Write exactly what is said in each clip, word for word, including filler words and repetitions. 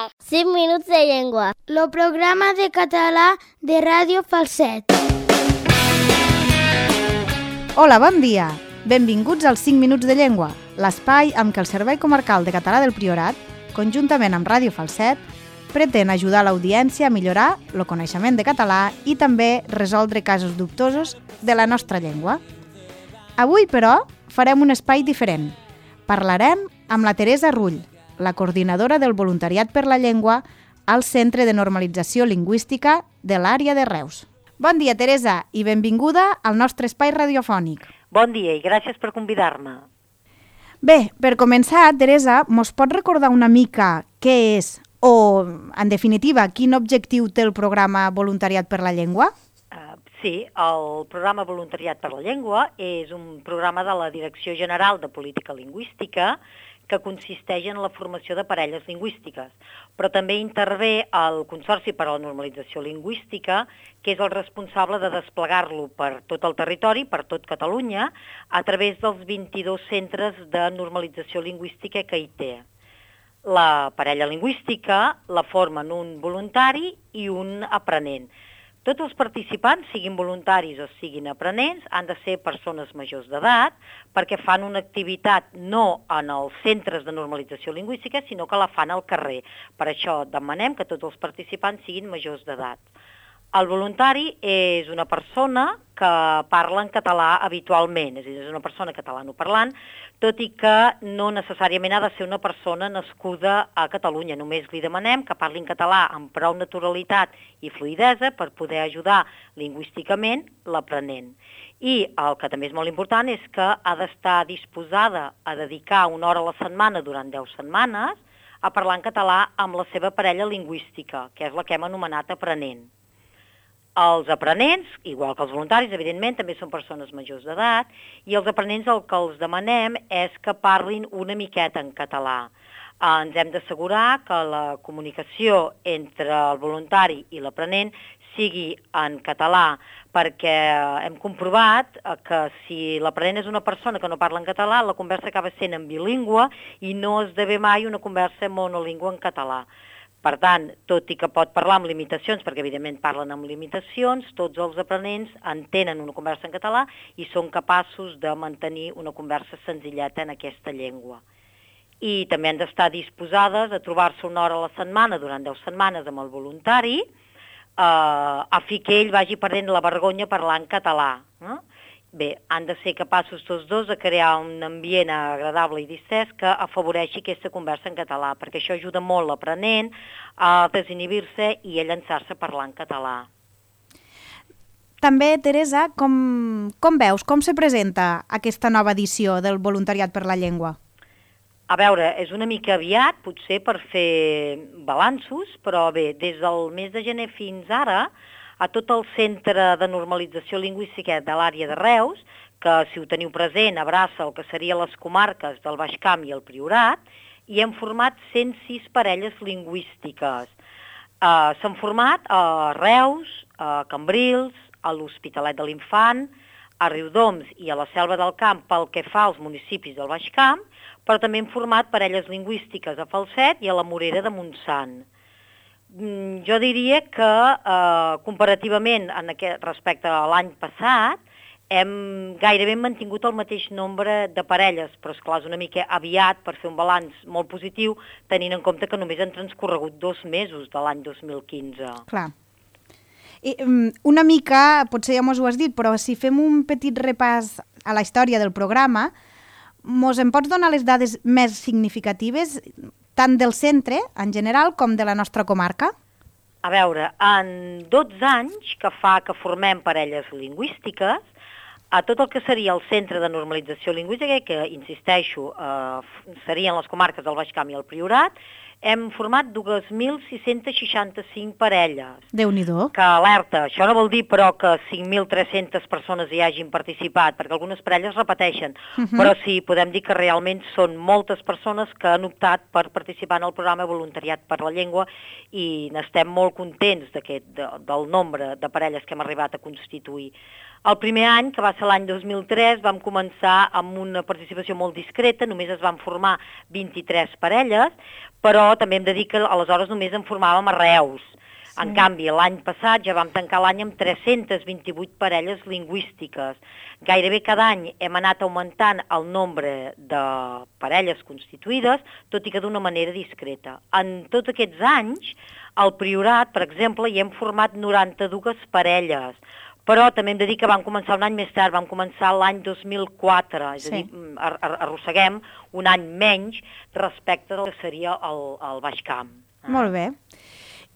Falset. cinc minuts de llengua. El programa de català de Ràdio Falset. Hola, bon dia. Benvinguts als cinc minuts de llengua, l'espai amb què el Servei Comarcal de Català del Priorat, conjuntament amb Ràdio Falset, pretén ajudar l'audiència a millorar el coneixement de català i també resoldre casos dubtosos de la nostra llengua. Avui, però, farem un espai diferent. Parlarem amb la Teresa Rull, la coordinadora del Voluntariat per la Llengua al Centre de Normalització Lingüística de l'àrea de Reus. Bon dia, Teresa, i benvinguda al nostre espai radiofònic. Bon dia i gràcies per convidar-me. Bé, per començar, Teresa, mos pot recordar una mica què és o, en definitiva, quin objectiu té el programa Voluntariat per la Llengua? Uh, sí, el programa Voluntariat per la Llengua és un programa de la Direcció General de Política Lingüística que consisteix en la formació de parelles lingüístiques, però també intervé el Consorci per a la Normalització Lingüística, que és el responsable de desplegar-lo per tot el territori, per tot Catalunya, a través dels vint-i-dos centres de normalització lingüística que hi té. La parella lingüística la formen un voluntari i un aprenent. Tots els participants, siguin voluntaris o siguin aprenents, han de ser persones majors d'edat perquè fan una activitat no en els centres de normalització lingüística, sinó que la fan al carrer. Per això demanem que tots els participants siguin majors d'edat. El voluntari és una persona que parla en català habitualment, és a dir, és una persona catalanoparlant, tot i que no necessàriament ha de ser una persona nascuda a Catalunya. Només li demanem que parli en català amb prou naturalitat i fluïdesa per poder ajudar lingüísticament l'aprenent. I el que també és molt important és que ha d'estar disposada a dedicar una hora a la setmana durant deu setmanes a parlar en català amb la seva parella lingüística, que és la que hem anomenat aprenent. Els aprenents, igual que els voluntaris, evidentment, també són persones majors d'edat, i els aprenents el que els demanem és que parlin una miqueta en català. Ens hem d'assegurar que la comunicació entre el voluntari i l'aprenent sigui en català, perquè hem comprovat que si l'aprenent és una persona que no parla en català, la conversa acaba sent en bilingüe i no esdevé mai una conversa monolingüe en català. Per tant, tot i que pot parlar amb limitacions, perquè evidentment parlen amb limitacions, tots els aprenents entenen una conversa en català i són capaços de mantenir una conversa senzilleta en aquesta llengua. I també han d'estar disposades a trobar-se una hora a la setmana durant deu setmanes amb el voluntari, eh, a fi que ell vagi perdent la vergonya a parlar en català. Eh? Bé, han de ser capaços tots dos de crear un ambient agradable i distès que afavoreixi aquesta conversa en català, perquè això ajuda molt l'aprenent a desinhibir-se i a llançar-se a parlar en català. També, Teresa, com, com veus, com se presenta aquesta nova edició del Voluntariat per la Llengua? A veure, és una mica aviat, potser per fer balanços, però bé, des del mes de gener fins ara, a tot el Centre de Normalització Lingüística de l'àrea de Reus, que si ho teniu present abraça el que serien les comarques del Baix Camp i el Priorat, i hem format cent sis parelles lingüístiques. Uh, S'han format a Reus, a Cambrils, a l'Hospitalet de l'Infant, a Riudoms i a la Selva del Camp pel que fa als municipis del Baix Camp, però també hem format parelles lingüístiques a Falset i a la Morera de Montsant. Jo diria que eh, comparativament en aquest, respecte a l'any passat hem gairebé mantingut el mateix nombre de parelles, però esclar, és una mica aviat per fer un balanç molt positiu, tenint en compte que només han transcorregut dos mesos de l'any dos mil quinze. Clar. I, una mica, potser ja mos ho has dit, però si fem un petit repàs a la història del programa, mos en pots donar les dades més significatives tant del centre, en general, com de la nostra comarca? A veure, en dotze anys que fa que formem parelles lingüístiques, a tot el que seria el Centre de Normalització Lingüística, que, insisteixo, eh, serien les comarques del Baix Camp i el Priorat, hem format dos mil sis-cents seixanta-cinc parelles. Déu-n'hi-do. Que alerta, això no vol dir però que cinc mil tres-centes persones hi hagin participat, perquè algunes parelles repeteixen, uh-huh. però sí, podem dir que realment són moltes persones que han optat per participar en el programa Voluntariat per la Llengua i n'estem molt contents d'aquest, de, del nombre de parelles que hem arribat a constituir. El primer any, que va ser l'any dos mil tres, vam començar amb una participació molt discreta, només es van formar vint-i-tres parelles, però però també hem de dir que aleshores només en formàvem a Reus. Sí. En canvi, l'any passat ja vam tancar l'any amb tres-centes vint-i-vuit parelles lingüístiques. Gairebé cada any hem anat augmentant el nombre de parelles constituïdes, tot i que d'una manera discreta. En tots aquests anys, al Priorat, per exemple, hi hem format noranta-dues parelles, però també hem de dir que vam començar un any més tard, vam començar l'any dos mil quatre, és sí. a dir, ar ar arrosseguem un any menys respecte del que seria el, el Baix Camp. Molt bé.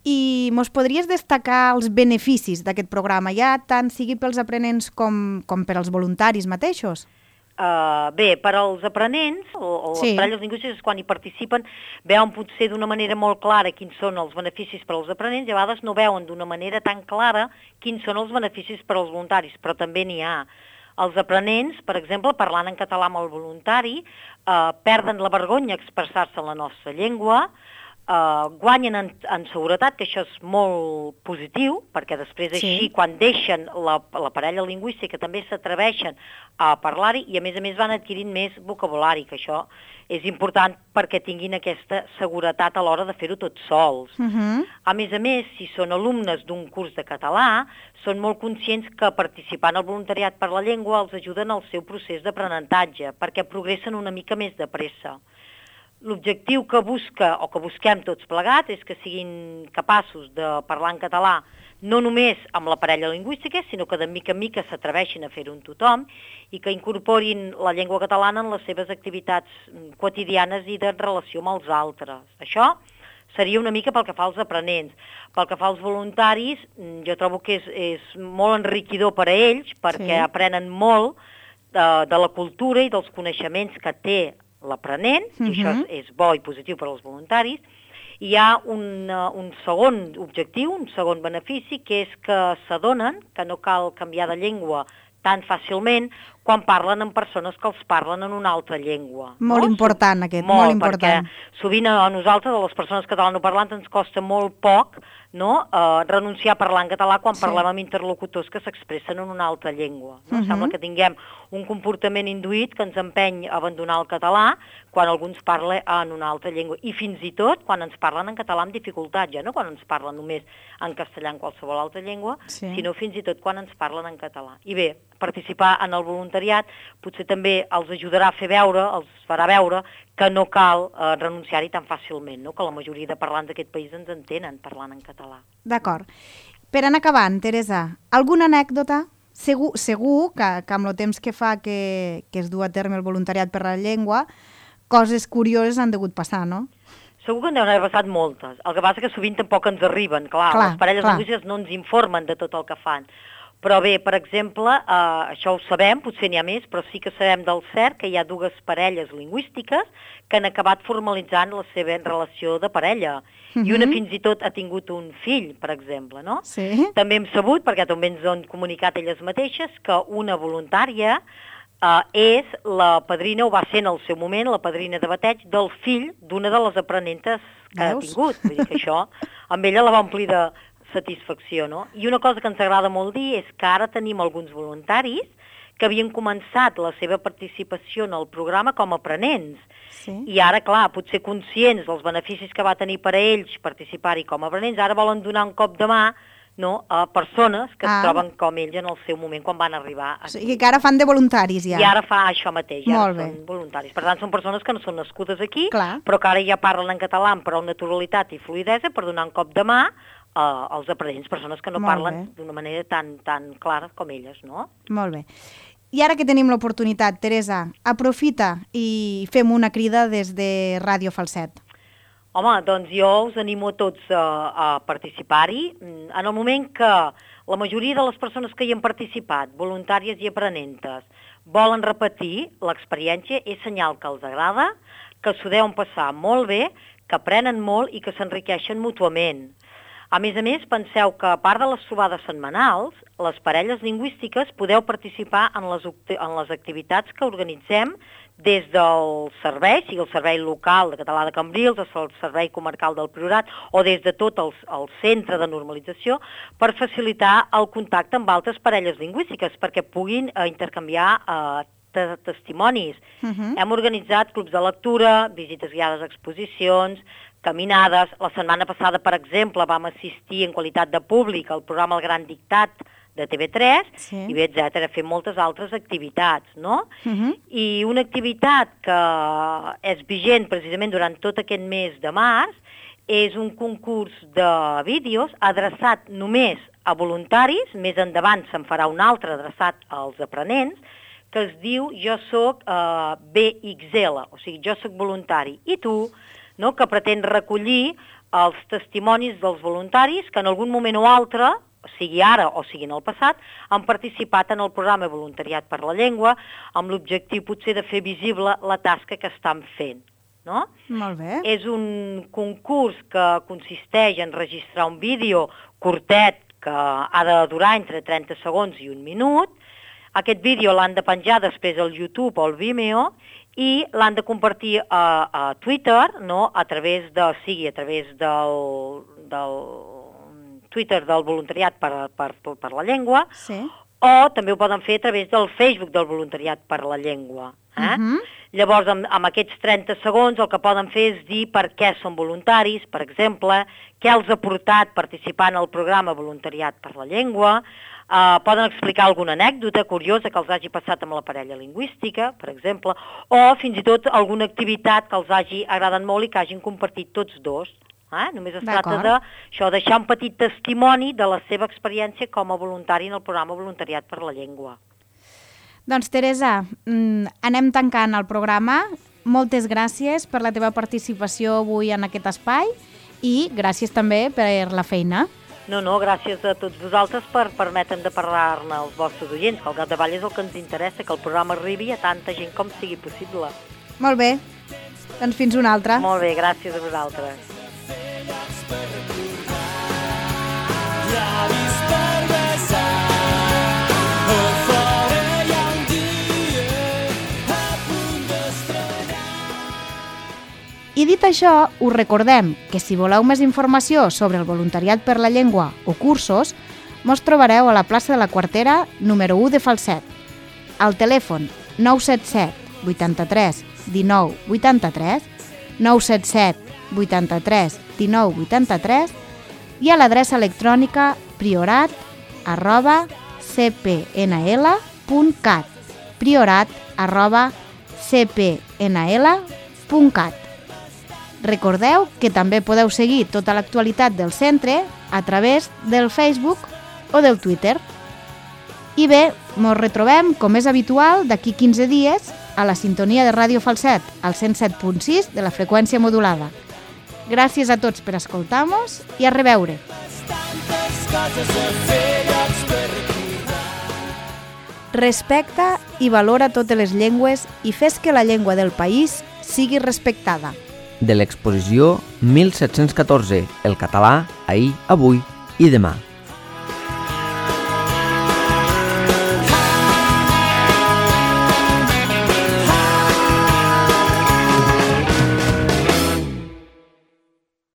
I mos podries destacar els beneficis d'aquest programa, ja tant sigui pels aprenents com, com per als voluntaris mateixos? Uh, bé, per als aprenents, o, o sí. les parelles lingüístiques, quan hi participen, veuen potser d'una manera molt clara quins són els beneficis per als aprenents, i a vegades no veuen d'una manera tan clara quins són els beneficis per als voluntaris, però també n'hi ha. Els aprenents, per exemple, parlant en català amb el voluntari, uh, perden la vergonya a expressar-se en la nostra llengua, Uh, guanyen en, en seguretat, que això és molt positiu, perquè després així, sí. quan deixen la, la parella lingüística, també s'atreveixen a parlar-hi i a més a més van adquirint més vocabulari, que això és important perquè tinguin aquesta seguretat a l'hora de fer-ho tots sols. Uh-huh. A més a més, si són alumnes d'un curs de català, són molt conscients que participant al voluntariat per la llengua els ajuden al seu procés d'aprenentatge, perquè progressen una mica més de pressa. L'objectiu que busca, o que busquem tots plegats, és que siguin capaços de parlar en català no només amb la parella lingüística, sinó que de mica en mica s'atreveixin a fer-ho amb tothom i que incorporin la llengua catalana en les seves activitats quotidianes i de relació amb els altres. Això seria una mica pel que fa als aprenents. Pel que fa als voluntaris, jo trobo que és, és molt enriquidor per a ells, perquè sí. aprenen molt de, de la cultura i dels coneixements que té l'aprenent, uh-huh. i això és, és bo i positiu per als voluntaris. Hi ha un, uh, un segon objectiu, un segon benefici, que és que s'adonen que no cal canviar de llengua tan fàcilment quan parlen amb persones que els parlen en una altra llengua. Molt no? important aquest, molt, molt important. Perquè sovint a nosaltres, a les persones catalanoparlants, ens costa molt poc no? uh, renunciar a parlar en català quan sí. parlem amb interlocutors que s'expressen en una altra llengua. No? Uh-huh. Sembla que tinguem un comportament induït que ens empeny a abandonar el català quan algú ens parla en una altra llengua. I fins i tot quan ens parlen en català amb dificultat, ja no quan ens parlen només en castellà en qualsevol altra llengua, sí. sinó fins i tot quan ens parlen en català. I bé, participar en el voluntariat potser també els ajudarà a fer veure, els farà veure que no cal eh, renunciar-hi tan fàcilment, no? Que la majoria de parlants d'aquest país ens entenen parlant en català. D'acord. Per anar acabant, Teresa, alguna anècdota? Segur, segur que, que amb el temps que fa que, que es du a terme el voluntariat per la llengua, coses curioses han degut passar, no? Segur que en deuen haver passat moltes. El que passa que sovint tampoc ens arriben, clar, clar les parelles lingüístiques no ens informen de tot el que fan. Però bé, per exemple, eh, això ho sabem, potser n'hi ha més, però sí que sabem del cert que hi ha dues parelles lingüístiques que han acabat formalitzant la seva relació de parella. Uh-huh. I una fins i tot ha tingut un fill, per exemple, no? Sí. També hem sabut, perquè també ens ho han comunicat elles mateixes, que una voluntària eh, és la padrina, o va ser en el seu moment, la padrina de bateig del fill d'una de les aprenentes que Veus? ha tingut. Vull dir que això, amb ella la va omplir de satisfacció, no? I una cosa que ens agrada molt dir és que ara tenim alguns voluntaris que havien començat la seva participació en el programa com a aprenents. Sí. I ara, clar, potser conscients dels beneficis que va tenir per a ells participar-hi com a aprenents, ara volen donar un cop de mà no, a persones que ah. es troben com ells en el seu moment quan van arribar aquí. O sigui que ara fan de voluntaris ja. I ara fa això mateix, ja ara són voluntaris. Per tant, són persones que no són nascudes aquí, clar. però que ara ja parlen en català amb prou naturalitat i fluïdesa per donar un cop de mà Uh, els aprenents, persones que no Molt parlen bé. d'una manera tan, tan clara com elles, no? Molt bé. I ara que tenim l'oportunitat, Teresa, aprofita i fem una crida des de Ràdio Falset. Home, doncs jo us animo a tots a, a participar-hi. En el moment que la majoria de les persones que hi han participat, voluntàries i aprenentes, volen repetir l'experiència, és senyal que els agrada, que s'ho deuen passar molt bé, que aprenen molt i que s'enriqueixen mútuament. A més a més, penseu que a part de les trobades setmanals, les parelles lingüístiques podeu participar en les, en les activitats que organitzem des del servei, sigui el servei local de català de Cambrils, el servei comarcal del Priorat, o des de tot el, el centre de normalització, per facilitar el contacte amb altres parelles lingüístiques, perquè puguin eh, intercanviar eh, de testimonis. Uh-huh. Hem organitzat clubs de lectura, visites guiades a exposicions, caminades. La setmana passada, per exemple, vam assistir en qualitat de públic al programa El Gran Dictat de T V tres, sí. i bé, etcètera, fem moltes altres activitats, no? Uh-huh. I una activitat que és vigent precisament durant tot aquest mes de març és un concurs de vídeos adreçat només a voluntaris, més endavant se'n farà un altre adreçat als aprenents, que es diu Jo soc eh, B X L, o sigui, jo soc voluntari, i tu, no?, que pretén recollir els testimonis dels voluntaris que en algun moment o altre, sigui ara o sigui en el passat, han participat en el programa Voluntariat per la Llengua amb l'objectiu potser de fer visible la tasca que estan fent. No? Molt bé. És un concurs que consisteix en registrar un vídeo curtet que ha de durar entre trenta segons i un minut. Aquest vídeo l'han de penjar després al YouTube o al Vimeo i l'han de compartir a, a Twitter, no? A través de, sigui a través del, del Twitter del Voluntariat per, per, per la Llengua, sí. O també ho poden fer a través del Facebook del Voluntariat per la Llengua. Eh? Uh-huh. Llavors, amb, amb aquests trenta segons, el que poden fer és dir per què són voluntaris, per exemple, què els ha portat participar en el programa Voluntariat per la Llengua, eh, poden explicar alguna anècdota curiosa que els hagi passat amb la parella lingüística, per exemple, o fins i tot alguna activitat que els hagi agradat molt i que hagin compartit tots dos. Eh? Només es tracta de això, deixar un petit testimoni de la seva experiència com a voluntari en el programa Voluntariat per la Llengua. Doncs, Teresa, anem tancant el programa. Moltes gràcies per la teva participació avui en aquest espai i gràcies també per la feina. No, no, gràcies a tots vosaltres per permetre'm de parlar-ne als vostres oients, que al capdavall és el que ens interessa, que el programa arribi a tanta gent com sigui possible. Molt bé, doncs fins una altra. Molt bé, gràcies a vosaltres. I dit això, us recordem que si voleu més informació sobre el voluntariat per la llengua o cursos, mos trobareu a la plaça de la Quartera número u de Falset. Al telèfon nou set set vuitanta-tres dinou vuitanta-tres, nou set set vuitanta-tres dinou vuitanta-tres i a l'adreça electrònica priorat arroba c p n l punt cat, priorat arroba c p n l punt cat. Recordeu que també podeu seguir tota l'actualitat del centre a través del Facebook o del Twitter. I bé, ens retrobem, com és habitual, d'aquí quinze dies a la sintonia de Ràdio Falset, al cent set punt sis de la freqüència modulada. Gràcies a tots per escoltar-nos i a reveure. Respecta i valora totes les llengües i fes que la llengua del país sigui respectada. De l'exposició mil set-cents catorze, el català, ahir, avui i demà.